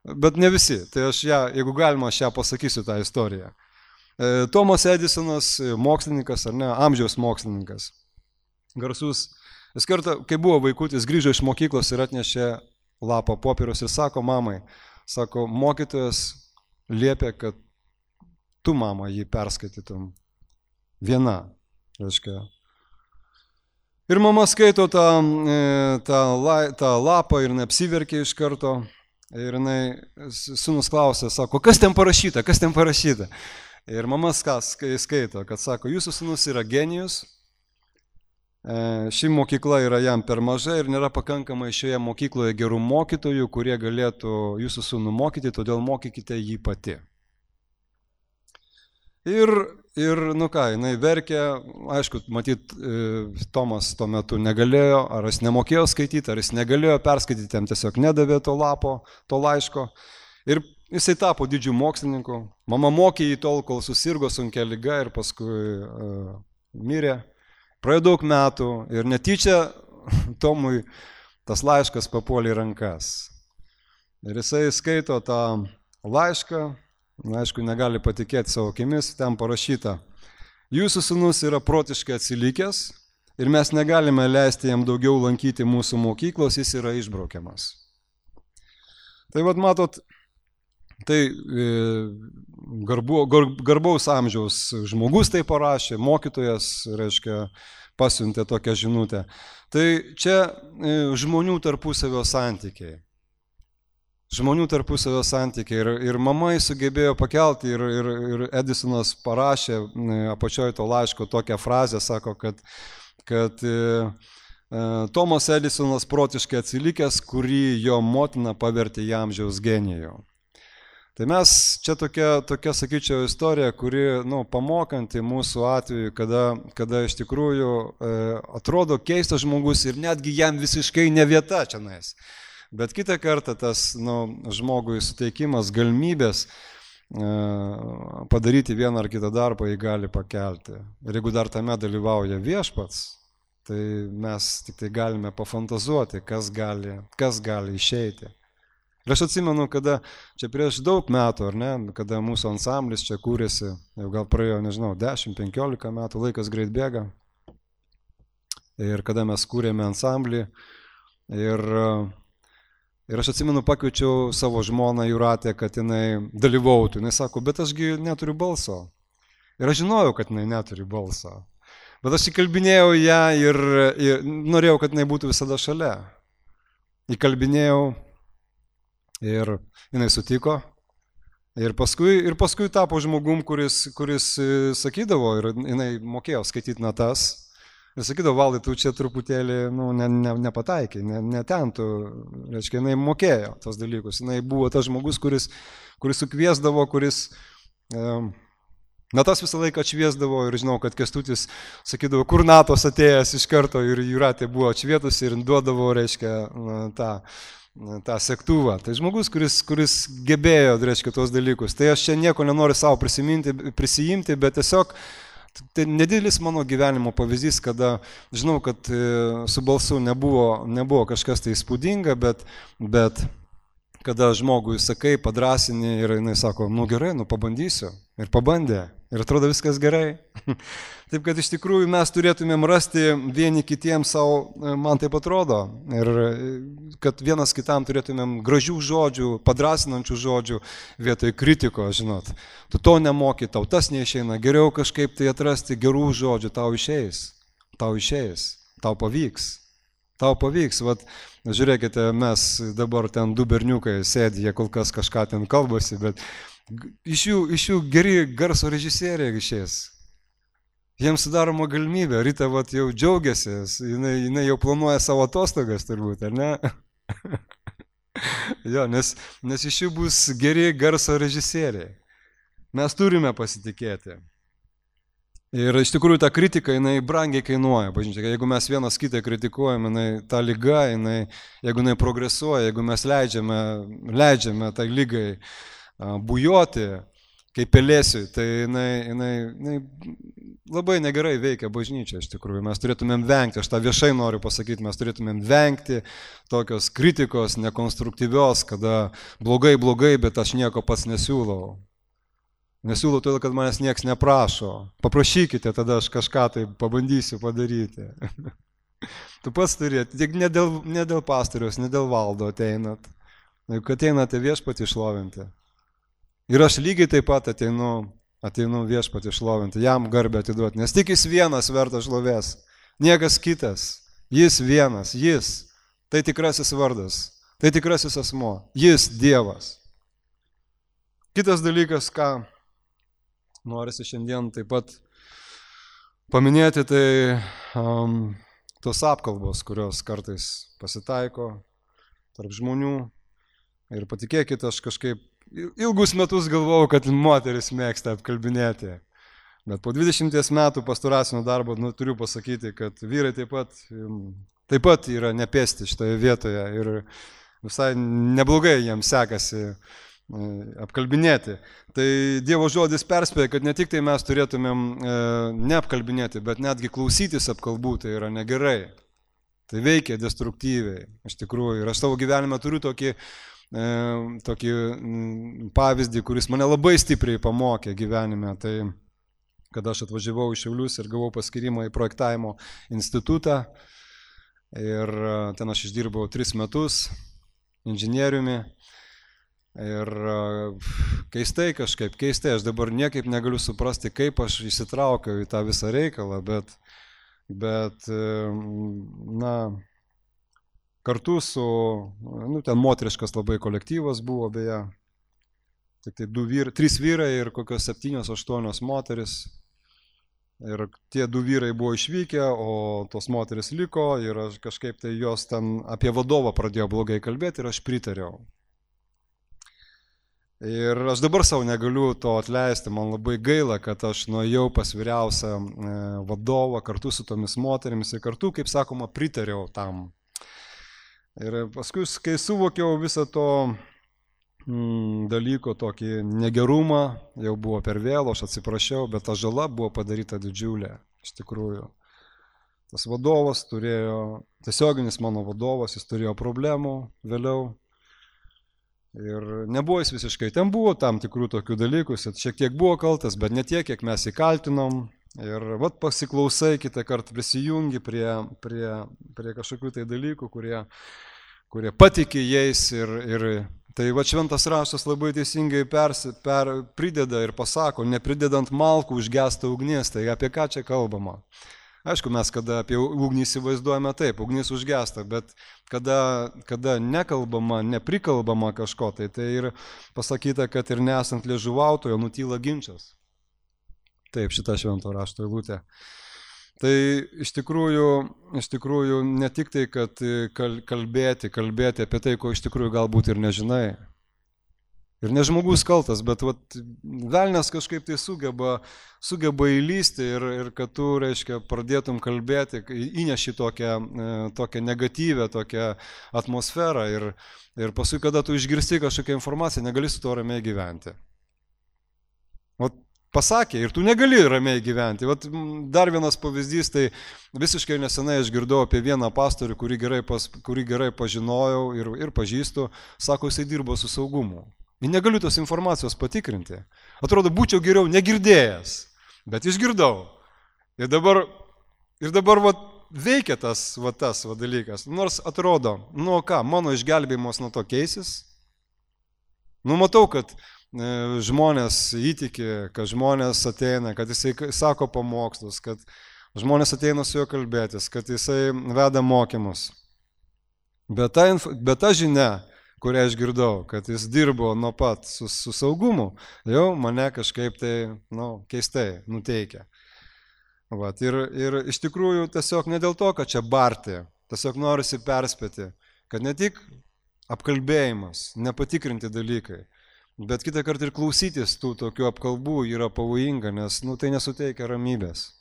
Bet ne visi, tai aš jeigu galima, aš pasakysiu tą istoriją. Tomas Edisonas, mokslininkas, ar ne, amžiaus mokslininkas. Garsus. Jis kartą, kai buvo vaikutis, grįžo iš mokyklos ir atnešė lapą popieriaus ir sako mamai, mokytojas liepė, kad tu, mama, jį perskaitytum viena, reiškia. Ir mama skaito tą lapą ir neapsiverkė iš karto. Ir sūnus klausė, sako, kas ten parašyta? Ir mama skaito, kad sako, jūsų sūnus yra genijus. Ši mokykla yra jam per maža ir nėra pakankamai šioje mokykloje gerų mokytojų, kurie galėtų jūsų sūnų mokyti, todėl mokykite jį pati. Ir jinai verkė, aišku, matyt, Tomas tuo metu negalėjo, ar jis nemokėjo skaityti, ar jis negalėjo perskaityti, jam tiesiog nedavė to lapo, to laiško. Ir jisai tapo didžiu mokslininku. Mama mokė jį tol, kol susirgo sunkia liga ir paskui mirė. Praėjo daug metų ir netyčia Tomui tas laiškas papuolė į rankas. Ir jisai skaito tą laišką, aišku, negali patikėti savo akimis, ten parašyta, jūsų sūnus yra protiškai atsilikęs ir mes negalime leisti jam daugiau lankyti mūsų mokyklos, jis yra išbraukiamas. Tai matot, tai garbaus amžiaus žmogus tai parašė, mokytojas, reiškia, pasiuntė tokią žinutę. Tai čia žmonių tarpusavio santykiai. Ir mama sugebėjo pakelti ir Edisonas parašė apačioje to laiško tokią frazę, sako, kad Tomas Edisonas protiškai atsilikęs, kurį jo motina pavertė į amžiaus genijų. Tai mes čia tokia sakyčiau, istorija, kuri, pamokanti mūsų atveju, kada iš tikrųjų atrodo keistas žmogus ir netgi jam visiškai ne vieta čia nais. Bet kitą kartą tas žmogui suteikimas galimybės padaryti vieną ar kitą darbą jį gali pakelti. Ir jeigu dar tame dalyvauja viešpats, tai mes tik tai galime pafantazuoti, kas gali išeiti. Ir aš atsimenu, kada čia prieš daug metų, ar ne, kada mūsų ansamblis čia kūrėsi, jau gal praėjo, 10-15 metų, laikas greit bėga. Ir kada mes kūrėme ansamblį, ir aš atsimenu, pakviečiau savo žmoną Jūratę, kad jinai dalyvautų. Jinai sako, bet ašgi neturiu balso. Ir aš žinojau, kad jinai neturi balso. Bet aš įkalbinėjau ją ir norėjau, kad jinai būtų visada šalia. Įkalbinėjau ir jinai sutiko. Ir paskui tapo žmogum, kuris sakydavo, ir jinai mokėjo skaityti natas. Ir sakydavo, Valdai, tu čia truputėlį nepataikai, ne ten tu, reiškia, jinai mokėjo tos dalykus. Jinai buvo tas žmogus, kuris sukviesdavo, kuris natas visą laiką atšviesdavo ir žinau, kad Kęstutis sakydavo, kur natos atėjęs iš karto ir Jūratė buvo atšvietusi ir duodavo, reiškia, tą sektuvą. Tai žmogus, kuris gebėjo, reiškia, tos dalykus. Tai aš čia nieko nenoriu savo prisijimti, bet tiesiog tai nedidelis mano gyvenimo pavyzdys, kada žinau, kad su balsu nebuvo kažkas tai įspūdinga, bet kada žmogui sakai, padrasini ir jinai sako, gerai, pabandysiu. Ir pabandė. Ir atrodo viskas gerai. Taip, kad iš tikrųjų mes turėtumėm rasti vieni kitiems savo, man taip atrodo, ir kad vienas kitam turėtumėm gražių žodžių, padrasinančių žodžių vietoj kritiko, žinot. Tu to nemoki, tau tas neišeina, geriau kažkaip tai atrasti gerų žodžių, tau išeis, tau pavyks. Vat, žiūrėkite, mes dabar ten 2 berniukai sėdi, jie kol kas kažką ten kalbasi, bet iš jų geri garso režisieriai išės. Jiems sudaroma galimybė, Rita vat jau džiaugiasi, jinai jau planuoja savo atostogas turbūt, ar ne? Jo, nes iš jų bus geri garso režisieriai. Mes turime pasitikėti. Ir iš tikrųjų ta kritika, jinai brangiai kainuoja, bažnyčia. Jeigu mes vienas kitą kritikuojame, ta lyga, jeigu jinai progresuoja, jeigu mes leidžiame tai lygai bujoti, kaip pelėsiui, tai jinai labai negerai veikia bažnyčia, iš tikrųjų. Mes turėtumėm vengti, aš tą viešai noriu pasakyti, mes turėtumėm vengti tokios kritikos nekonstruktyvios, kada blogai, bet aš nieko pats nesiūlau. Nesiūlau todėl, kad manęs nieks neprašo. Paprašykite, tada aš kažką tai pabandysiu padaryti. Tu pats turėti, tik ne dėl pastoriaus, ne dėl valdo ateinat. Jeigu ateinate viešpatį šlovinti. Ir aš lygiai taip pat ateinu viešpatį šlovinti, jam garbę atiduoti, nes tik jis vienas vertas šlovės, niekas kitas, jis vienas, jis, tai tikrasis vardas, tai tikrasis asmuo, jis Dievas. Kitas dalykas, ką norisi šiandien taip pat paminėti, tai tos apkalbos, kurios kartais pasitaiko tarp žmonių. Ir patikėkit, aš kažkaip ilgus metus galvojau, kad moteris mėgsta apkalbinėti. Bet po 20 metų pastoracinio darbo turiu pasakyti, kad vyrai taip pat yra nepėsti šitoje vietoje ir visai neblogai jiems sekasi apkalbinėti. Tai Dievo žodis perspėja, kad ne tik tai mes turėtumėm neapkalbinėti, bet netgi klausytis apkalbų, tai yra negerai. Tai veikia destruktyviai, iš tikrųjų. Ir aš savo gyvenime turiu tokį pavyzdį, kuris mane labai stipriai pamokė gyvenime. Tai kada aš atvažiavau į Šiaulius ir gavau paskirimą į projektavimo institutą ir ten aš išdirbau 3 metus inžinieriumi. Ir keistai, aš dabar niekaip negaliu suprasti, kaip aš įsitraukiau į tą visą reikalą, bet kartu su, ten moteriškas labai kolektyvas buvo, beje, tik tai 3 vyrai ir kokios 7-8 moteris. Ir tie 2 vyrai buvo išvykę, o tos moteris liko ir aš kažkaip tai jos ten apie vadovą pradėjo blogai kalbėti ir aš pritariau. Ir aš dabar savo negaliu to atleisti, man labai gaila, kad aš nuėjau pas vyriausią vadovą kartu su tomis moterimis ir kartu, kaip sakoma, pritariau tam. Ir paskui, kai suvokiau visą to dalyko tokį negerumą, jau buvo per vėlo, aš atsiprašiau, bet ta žala buvo padaryta didžiulė, iš tikrųjų. Tas vadovas turėjo, tiesioginis mano vadovas, jis turėjo problemų vėliau. Ir nebuvo jis visiškai, ten buvo tam tikrų tokių dalykų, jis šiek tiek buvo kaltas, bet ne tiek, kiek mes įkaltinom. Ir vat pasiklausai, kitą kartą prisijungi prie kažkokių tai dalykų, kurie patikė jais. Ir tai vat šventas raštas labai teisingai prideda ir pasako, nepridedant malkų užgesta ugnis, tai apie ką čia kalbama. Aišku, mes kada apie ugnį įsivaizduojame taip, ugnis užgesta, bet kada nekalbama, neprikalbama kažko, tai ir pasakyta, kad ir nesant liežuvautojo nutyla ginčas. Taip, šita švento rašto eilutė. Tai iš tikrųjų ne tik tai, kad kalbėti apie tai, ko iš tikrųjų galbūt ir nežinai. Ir ne žmogus kaltas, bet velnias kažkaip tai sugeba įlysti ir kad tu, reiškia, pradėtum kalbėti, įneši tokią negatyvę, tokią atmosferą ir paskui, kada tu išgirsti kažkokią informaciją, negali su to ramiai gyventi. Pasakė ir tu negali ramiai gyventi. Dar vienas pavyzdys, tai visiškai nesenai aš girdau apie vieną pastorių, kurį gerai pažinojau ir pažįstu, sako, jisai dirbo su saugumu. Ir negaliu tos informacijos patikrinti. Atrodo, būčiau geriau negirdėjęs, bet išgirdau. Ir dabar veikia tas dalykas. Nors atrodo, mano išgelbėjimas nuo to keisis. Matau, kad žmonės įtiki, kad žmonės ateina, kad jisai sako pamokslus, kad žmonės ateina su juo kalbėtis, kad jisai veda mokymus. Bet ta žinia, kurią aš girdau, kad jis dirbo nuo pat su saugumu, jau mane kažkaip tai, keistai nuteikia. Ir iš tikrųjų tiesiog ne dėl to, kad čia barti, tiesiog norisi perspėti, kad ne tik apkalbėjimas, nepatikrinti dalykai, bet kitą kartą ir klausytis tų tokių apkalbų yra pavojinga, nes tai nesuteikia ramybės.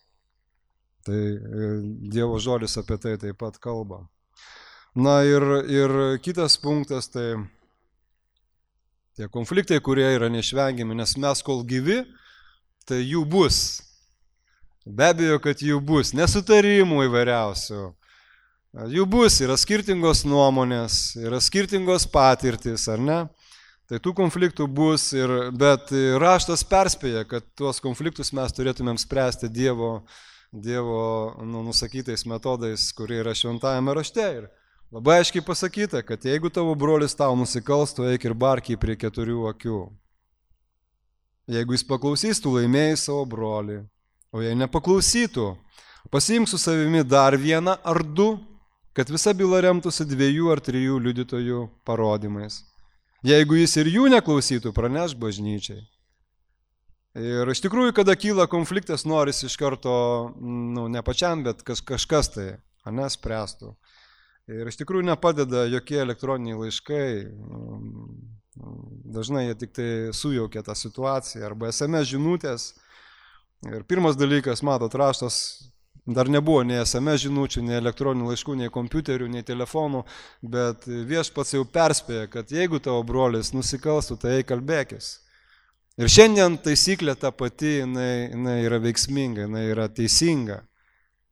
Tai Dievo žodis apie tai taip pat kalba. Ir kitas punktas, tai tie konfliktai, kurie yra neišvengiami, nes mes kol gyvi, tai jų bus. Be abejo, kad jų bus, nesutarimų įvairiausių. Jų bus, yra skirtingos nuomonės, yra skirtingos patirtis, ar ne? Tai tų konfliktų bus, bet raštas perspėja, kad tuos konfliktus mes turėtumėm spręsti Dievo nusakytais metodais, kurie yra šventajame rašte. Ir labai aiškiai pasakyta, kad jeigu tavo brolis tau nusikals, tu eik ir bark jį prie 4 akių. Jeigu jis paklausys, tu laimėjai savo brolį. O jei nepaklausytų, pasiimk su savimi dar 1 ar 2, kad visa byla remtųsi 2 ar 3 liudytojų parodymais. Jeigu jis ir jų neklausytų, pranešk bažnyčiai. Ir iš tikrųjų, kada kyla konfliktas, norisi iš karto, ne pačiam, bet kažkas tai, spręstų. Ir iš tikrųjų nepadeda jokie elektroniniai laiškai, dažnai jie tik tai sujaukia tą situaciją, arba SMS žinutės. Ir pirmas dalykas, matot, raštas, dar nebuvo nei SMS žinučių, nei elektroninių laiškų, nei kompiuterių, nei telefonų, bet viešpats jau perspėja, kad jeigu tavo brolis nusikalstų, tai kalbėkis. Ir šiandien taisyklė ta pati, jinai yra veiksminga, jinai yra teisinga.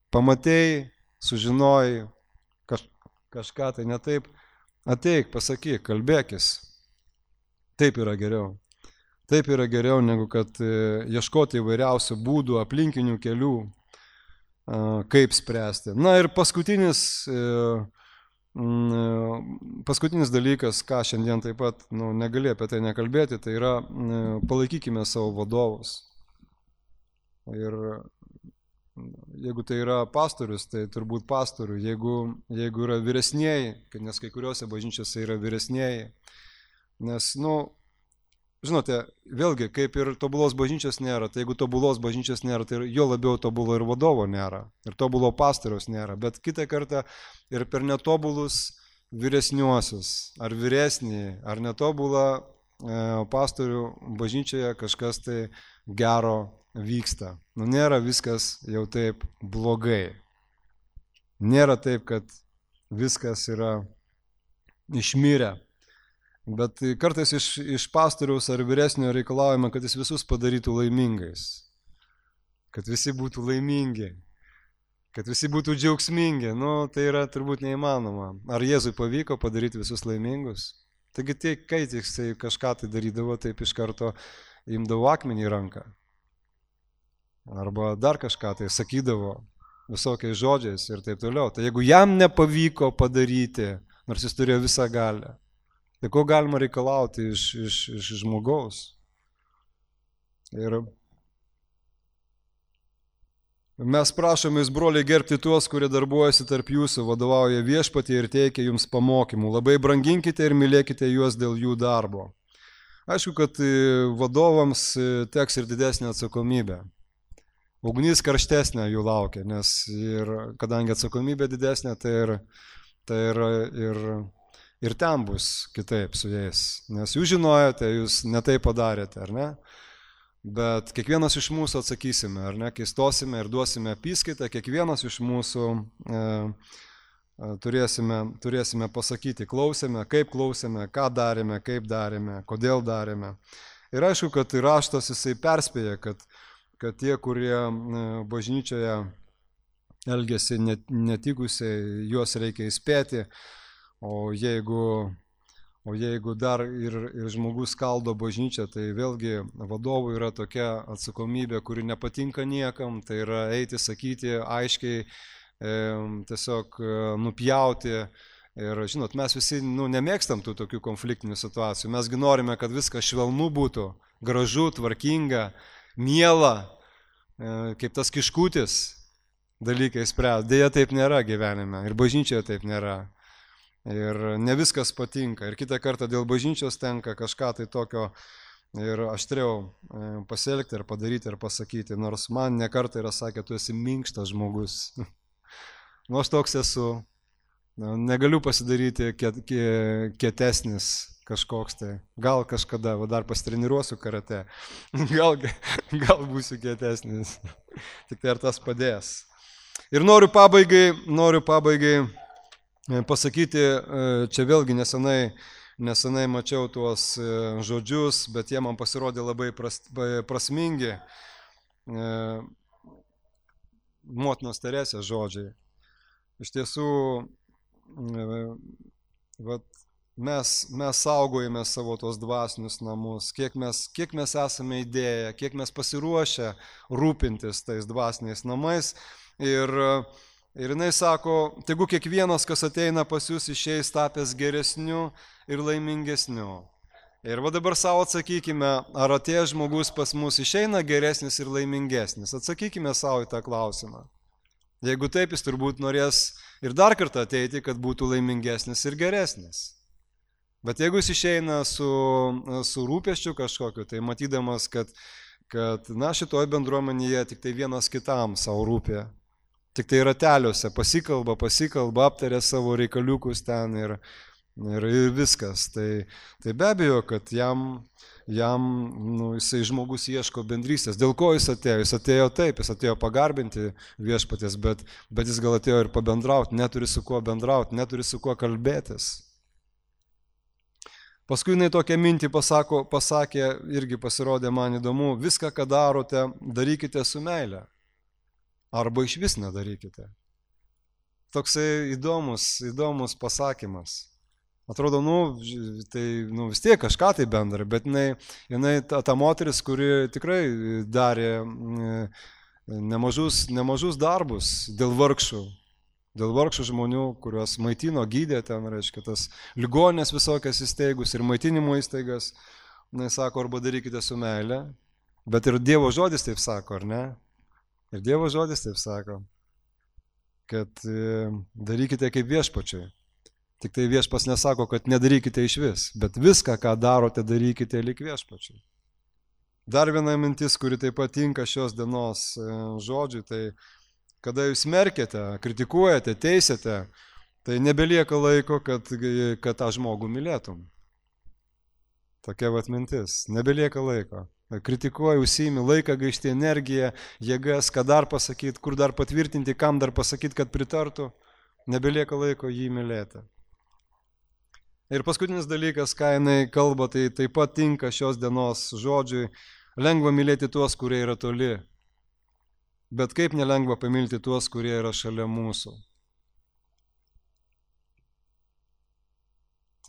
Pamatei, sužinojai kažką tai ne taip, ateik, pasakyk, kalbėkis. Taip yra geriau. Taip yra geriau, negu kad ieškoti įvairiausių būdų, aplinkinių kelių, kaip spręsti. Ir paskutinis dalykas, ką šiandien taip pat negali apie tai nekalbėti, tai yra palaikykime savo vadovus. Ir jeigu tai yra pastorius, tai turbūt pastorių. Jeigu yra vyresnieji, nes kai kuriuose bažnyčiose yra vyresnieji, nes, žinote, vėlgi, kaip ir tobulos bažnyčios nėra, tai jeigu tobulos bažnyčios nėra, tai jo labiau tobulo ir vadovo nėra, ir tobulo pastoriaus nėra, bet kitą kartą ir per netobulus vyresniuosius, ar vyresnį, ar netobulą pastorių bažnyčioje kažkas tai gero vyksta. Nu, nėra viskas jau taip blogai. Nėra taip, kad viskas yra išmirę. Bet kartais iš pastoriaus ar vyresnio reikalaujame, kad jis visus padarytų laimingais. Kad visi būtų laimingi. Kad visi būtų džiaugsmingi. Nu, tai yra turbūt neįmanoma. Ar Jėzui pavyko padaryti visus laimingus? Taigi kai jisai kažką tai darydavo, taip iš karto imdavo akmenį į ranką. Arba dar kažką tai sakydavo visokiais žodžiais ir taip toliau. Tai jeigu jam nepavyko padaryti, nors jis turėjo visą galią, tai ko galima reikalauti iš žmogaus? Ir mes prašome jūs, broliai, gerbti tuos, kurie darbuojasi tarp jūsų, vadovauja viešpatie ir teikia jums pamokymų. Labai branginkite ir mylėkite juos dėl jų darbo. Aišku, kad vadovams teks ir didesnė atsakomybė. Ugnis karštesnė jų laukia, nes ir kadangi atsakomybė didesnė, tai ir ten bus kitaip su jais. Nes jūs žinojote, jūs netai padarėte, ar ne? Bet kiekvienas iš mūsų atsakysime, ar ne, kai stosime ir duosime apyskaitą, kiekvienas iš mūsų turėsime pasakyti, klausėme, ką darėme, kaip darėme, kodėl darėme. Ir aišku, kad raštas jisai perspėja, kad tie, kurie bažnyčioje elgiasi netikusiai, juos reikia įspėti, o jeigu dar ir žmogus skaldo bažnyčią, tai vėlgi vadovui yra tokia atsakomybė, kuri nepatinka niekam, tai yra eiti, sakyti, aiškiai, tiesiog nupjauti. Ir žinot, mes visi nemėgstam tų tokių konfliktinių situacijų, mesgi norime, kad viskas švelnu būtų, gražu, tvarkinga, miela, kaip tas kiškutis dalykai spręs. Deja, taip nėra gyvenime ir bažnyčioje taip nėra. Ir ne viskas patinka. Ir kitą kartą dėl bažnyčios tenka kažką tai tokio ir aštriau pasielgti ir padaryti ir pasakyti. Nors man ne kartą yra sakę, tu esi minkštas žmogus. Nu, aš toks esu. Negaliu pasidaryti kietesnis kažkoks tai. Gal kažkada, dar pasitreniruosiu karate. Gal būsiu kietesnis. Tik tai ar tas padės. Ir noriu pabaigai pasakyti, čia vėlgi nesenai mačiau tuos žodžius, bet jie man pasirodė labai prasmingi. Motinos Teresės žodžiai. Iš tiesų, mes saugojame savo tos dvasinius namus, kiek mes esame įdėję, kiek mes pasiruošę rūpintis tais dvasiniais namais. Ir jinai sako, tegu kiekvienas, kas ateina pas jūs, išeis tapęs geresniu ir laimingesniu. Ir va dabar savo atsakykime, ar atėjęs žmogus pas mus išeina geresnis ir laimingesnis. Atsakykime savo į tą klausimą. Jeigu taip, jis turbūt norės ir dar kartą ateiti, kad būtų laimingesnis ir geresnis. Bet jeigu jis išeina su rūpesčiu kažkokiu, tai matydamas, kad šitoje bendruomenėje tik tai vienas kitam savo rūpė. Tik tai rateliuose pasikalba, aptarė savo reikaliukus ten ir viskas. Tai be abejo, kad jam jisai žmogus ieško bendrystės. Dėl ko jis atėjo? Jis atėjo taip, jis atėjo pagarbinti viešpaties, bet jis gal atėjo ir pabendrauti, neturi su kuo bendrauti, neturi su kuo kalbėtis. Paskui jinai tokią mintį pasakė, irgi pasirodė man įdomu, viską, ką darote, darykite su meile. Arba iš vis nedarykite. Toksai įdomus pasakymas. Atrodo, vis tiek kažką tai bendra, bet jinai ta moteris, kuri tikrai darė nemažus darbus dėl vargšų žmonių, kuriuos maitino, gydė ten, reiškia, tas ligoninės visokias įsteigus ir maitinimo įstaigas. Jinai sako, arba darykite su meile, bet ir Dievo žodis taip sako, ar ne? Ir Dievo žodis taip sako, kad darykite kaip viešpačiui. Tik tai viešpas nesako, kad nedarykite iš vis, bet viską, ką darote, darykite lyg viešpačiui. Dar viena mintis, kuri taip pat tinka šios dienos žodžiui, tai kada jūs smerkiate, kritikuojate, teisėte, tai nebelieka laiko, kad tą žmogų mylėtum. Tokia vat mintis. Nebelieka laiko. Kritikuoji, užsiimi laiką, gaišti energiją, jėgas, ką dar pasakyti, kur dar patvirtinti, kam dar pasakyti, kad pritartų. Nebelieka laiko jį mylėti. Ir paskutinis dalykas, ką jinai kalba, tai taip pat tinka šios dienos žodžiui. Lengva mylėti tuos, kurie yra toli. Bet kaip nelengva pamilti tuos, kurie yra šalia mūsų.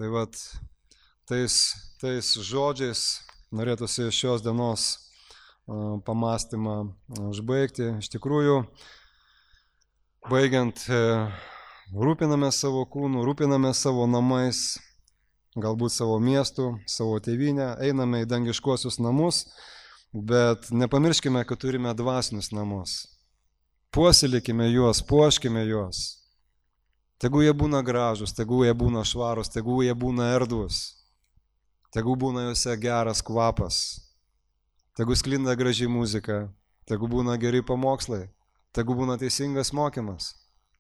Tai vat, tais žodžiais norėtųsi šios dienos pamastymą užbaigti. Iš tikrųjų, baigiant, rūpiname savo kūnu, rūpiname savo namais, galbūt savo miestų, savo tėvynę, einame į dangiškuosius namus, bet nepamirškime, kad turime dvasinius namus. Puoselėkime juos, puoškime juos. Tegu jie būna gražus, tegu jie būna švarus, tegu jie būna erdvus, tegu būna juose geras kvapas, tegu sklinda graži muzika, tegu būna geri pamokslai, tegu būna teisingas mokymas.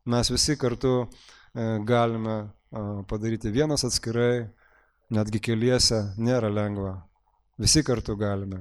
Mes visi kartu galime padaryti vienas atskirai, netgi keliese nėra lengva. Visi kartu galime.